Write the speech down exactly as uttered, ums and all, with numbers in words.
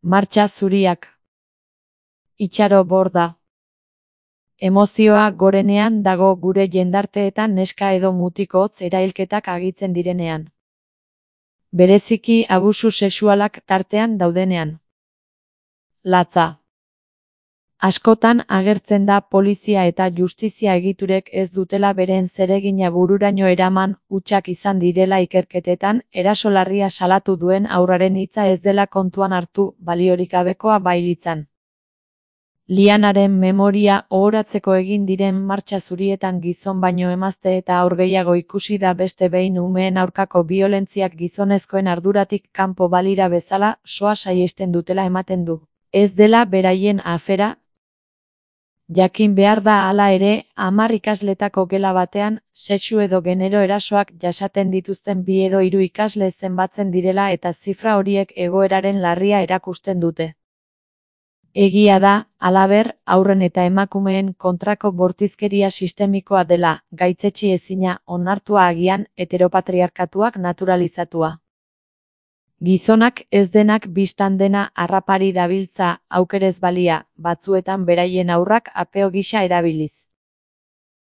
Martxa zuriak. Itxaro borda. Emozioa gorenean dago gure jendarteetan neska edo mutiko hotz erailketak agitzen direnean. Bereziki abusu sexualak tartean daudenean. Latza. Askotan agertzen da polizia eta justizia egiturek ez dutela beren zeregina bururaino eraman, hutsak izan direla ikerketetan, erasolarria salatu duen haurraren hitza ez dela kontuan hartu, baliorik gabekoa bailitzan. Lianaren memoria ohoratzeko egin diren martxa zurietan gizon baino emazte eta haur gehiago ikusi da beste behin umeen aurkako biolentziak gizonezkoen arduratik kanpo balira bezala soa saihesten dutela ematen du. Ez dela beraien afera. Jakin behar da hala ere, hamar ikasletako gela batean, sexu edo genero erasoak jasaten dituzten bi edo hiru ikasle zenbatzen direla eta zifra horiek egoeraren larria erakusten dute. Egia da, halaber, haurren eta emakumeen kontrako bortizkeria sistemikoa dela, gaitzetsi ezina, onartua agian, heteropatriarkatuak naturalizatua. Gizonak ez denak bistan dena harrapari dabiltza, aukerez balia, batzuetan beraien haurrak apeo gisa erabiliz.